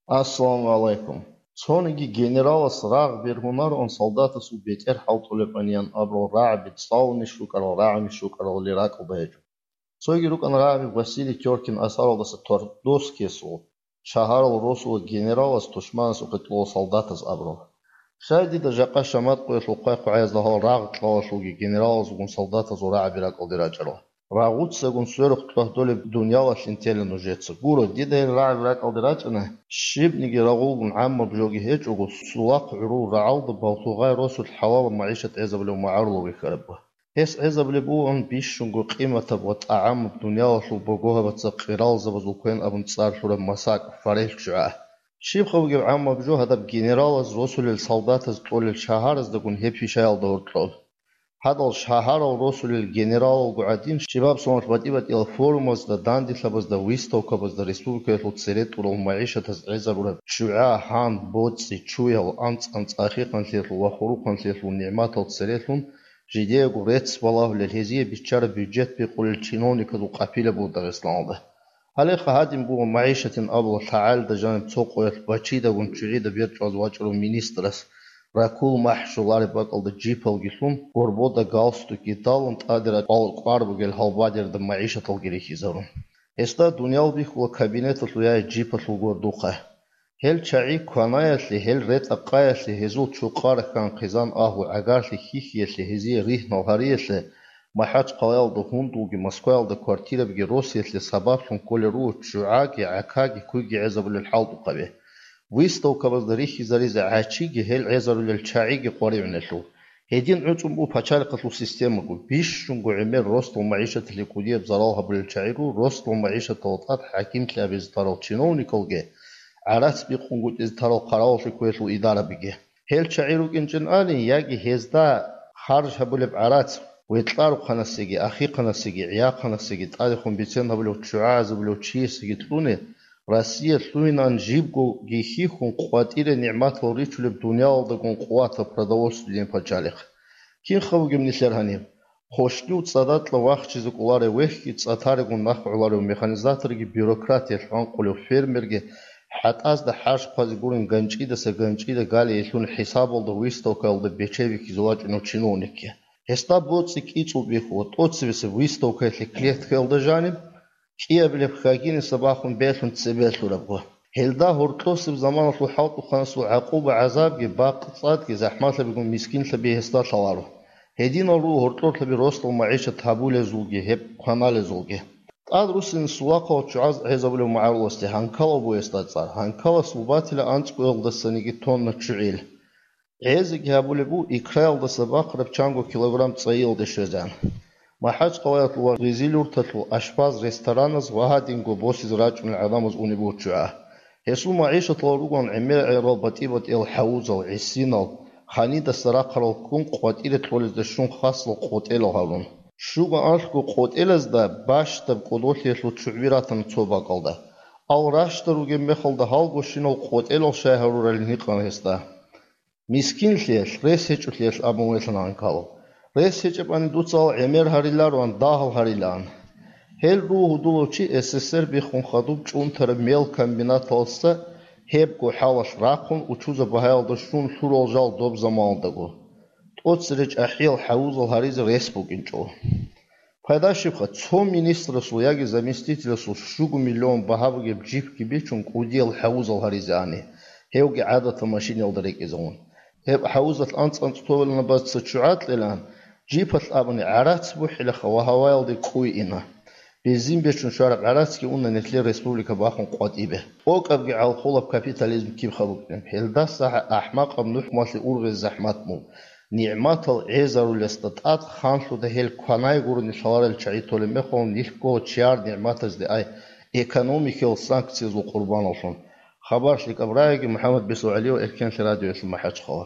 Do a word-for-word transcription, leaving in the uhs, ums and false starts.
Ассаламу гӀалайкум. Цониги генералас рагъ бергьунароан солдатасул бетӀер хӀалтӀулеб аниян абурал рагӀаби цӀалунищ рукӀарал, рагӀунищ рукӀаралли ракӀалда гьечӀо. Цоги рукӀана рагӀаби Василий Тёркин асаралдаса Твардовскиясул, шагьарал росула генералас тушманасухъе кьола солдатаз абурал. Щай дида жакъа Шамат къоялъул хъвай-хъвагӀазда гьал рагъ кьалалъулги генералазулгун солдатазул рагӀаби ракӀалде рачӀарал? Рагъуцагун сверухъ кьвагьдолеб дуниялалъин тела нужеца. Гуро, дида гьел рагӀаби ракӀалде рачӀана, щибниги рагъулгун гӀаммаб жоги гьечӀого, сулахъ гӀурул рагӀалда балъугъай росулъ хӀалалаб магӀишат гӀезабулев магӀарулав вихьарабго. Гьес гӀезабулеб бугоан бищунго къиматаб ва тӀагӀамаб дуниялалъул богогьабаца къиралзабазул квен абун цӀар лъураб масакӀ, форель ччугӀа. Щибха бугеб гӀаммаб жо гьадаб генералаз росулел солдатаз кьолел шагьараздагун гьеб пишаялда гьоркьоб? Гьадал шагьарал росулел генералалго гӀадин, щибаб соналъ батӀи-батӀиял форумазда, данделъабазда, выставкабазда республикаялъул цере тӀурал магӀишатаз гӀезабураб ччугӀа, гьан, боцӀи, чуял, анцӀ-анцӀ ахихъанлъиялъул ва хурухъанлъиялъул нигӀматал церелъун, жидеего рецц балагьулел, гьезие биччараб бюджет бикъулел чиновниказул къапила буго Дагъистаналда. Гьалеха гьадин буго магӀишатин абула лъагӀалда жаниб цо къоялъ бачидагун ччугӀида берчӀваз вачӀарав министрас, ракул махӀ щолареб бакӀалда джипалги лъун, горбода галстукги далун, тӀаде ракӀал кӀвар бугел гьалбадерда магӀишаталги рихьизарун. Гьесда дуниял бихьула кабинеталъул яги джипалъул гордухъа. Гьел чагӀи кванаялъе, гьел ретӀа-къаялъе, гьезул чукъа рахьан хъизан агьлу гӀагарлъи хьихьиялъе, гьезие ригьнал гьариялъе, МахӀачхъалаялда гьундулги Москваялда квартирабги росиялъе сабаблъун кколел руго ччугӀаги, гӀакаги, куйги гӀезабулел хӀалтӀухъаби. Выставкабазда рихьизаризе гӀачиги, гьел гӀезарулел чагӀиги къваригӀунелъул. Гьедин гӀуцӀун буго пачалихъалъул системаго, бищунго гӀемер росдал магӀишаталъе кӀудияб зарал гьабулел чагӀи руго, росдал магӀишаталда тӀад хӀакимлъи гьабизе тарал чиновникалги гӀарац бикъунгутӀизе тарал хъаравуллъи кквелъул идарабиги. Гьел чагӀи рукӀинчӀин ани, яги гьезда харж гьабулеб гӀарац, веткьарухъанасеги, ахихъанасеги, гӀияхъанасеги, тӀадехун бицен гьабулев ччугӀа гӀезабулев чиясеги кьуни, Россия лъугьинан жибгоги хьихьун къватӀире нигӀматал ричулеб дуниялалдагун къуватаб продовольственный пачалихъ. Кинха бугеб нилъер гьаниб? Хошнив цӀадакьа вахчизе кӀоларев вехьги, цӀа таригун нах гӀоларев механизаторги, бюрократиялъ гӀанкъулев фермерги, хӀатӀазда хӀарщ хъвазе гурин ганчӀидаса ганчӀида галей лъун хӀисабалда, выставкаялда бечей бихьизе вачӀунев чиновникги. Гьесда боцӀи кӀицӀул бихьула, тӀоцебесеб выставкаялъе клеткаялда жаниб, кӀиабилеб хьагиниса бахун белъун цебе лъурабго. Гьелда гьоркьосеб заманалъул хӀалтӀухъанасул гӀакъуба-гӀазабги, бакъ-цӀадги, захӀмалъабигун мискинлъаби гьесда лъаларо. Гьединал руго гьоркьорлъаби росдал магӀишат гьабулезулги гьеб кваналезулги. ТӀад руссин сулахъал ччугӀаз гӀезабулев магӀаруласде гьанкалав бугесда цӀар. Гьанкалас лъубатила анцӀгоялдасаниги тонна ччугӀил. ГӀезеги гьабулеб буго икраялдаса бахъараб чанго килограмм цӀайиялде щвезегӀан. МахӀачхъалаялъул ва Гъизилюрталъул ашпаз-рестораназ ва гьадинго босизе рачӀунел гӀадамаз унеб буго ччугӀа. Гьесул магӀишаталда ругоан гӀемер-гӀемерал батӀи-батӀиял хӀавузал, гӀисинал, ханидаса рахъарал ккун къватӀире кьолезда щун хасал къотӀелал гьарун. Щуго анлъго къотӀелазда бащдаб кӀодолъиялъул ччугӀби ратана цо бакӀалда. Ал ращтӀа ругеб мехалда гьалгощинал къотӀелал щай гьаруралин гьикъана гьесда. Мискинлъиялъ, рес гьечӀолъиялъ абун велъана гьанкалав. Рес гьечӀебани дуца ал гӀемер гьарилароан, дагьал гьарилаан. Гьел руго гьудулав чи СССР биххун хадуб чӀунтараб мел комбинаталдаса гьебго хӀалалъ рахъун учуза багьаялда щун лъурал жал доб заманалдаго. ТӀоцере чӀахӀиял хӀавузал гьаризе рес букӀинчӀо. Пайда щибха, цо министрасул яги заместителасул щуго миллион багьа бугеб джипги бичун кӀудиял хӀавузал гьаризе ани, гьевги гӀадатал машинаялда рекӀизавун. Гьеб хӀавузалъ анцӀ-анцӀ товиланабаца ччугӀа кьелаан, джипалъ абуни гӀарац бухӀилаха ва гьаваялде кӀуй ина. Бензин бечун щвараб гӀарацги уна нилъер республика бахун къватӀибе. ТӀокӀабги гӀалхулаб капитализм кибха букӀин. Гьелдаса ахӀмакъаб нухмалъе ургъизе захӀмат мун. НигӀматал гӀезарулесда тӀад ханлъуда гьел кванай гурони лъаларел чагӀи толеб мехалъ нилъго чияр нигӀматазде ай экономикиял санкциязул къурбаналлъун. Хабар лъикӀаб рагӀиги, МухӀаммад Бесо ГӀалиев, Эркенлъи радиоялъул МахӀачхъала.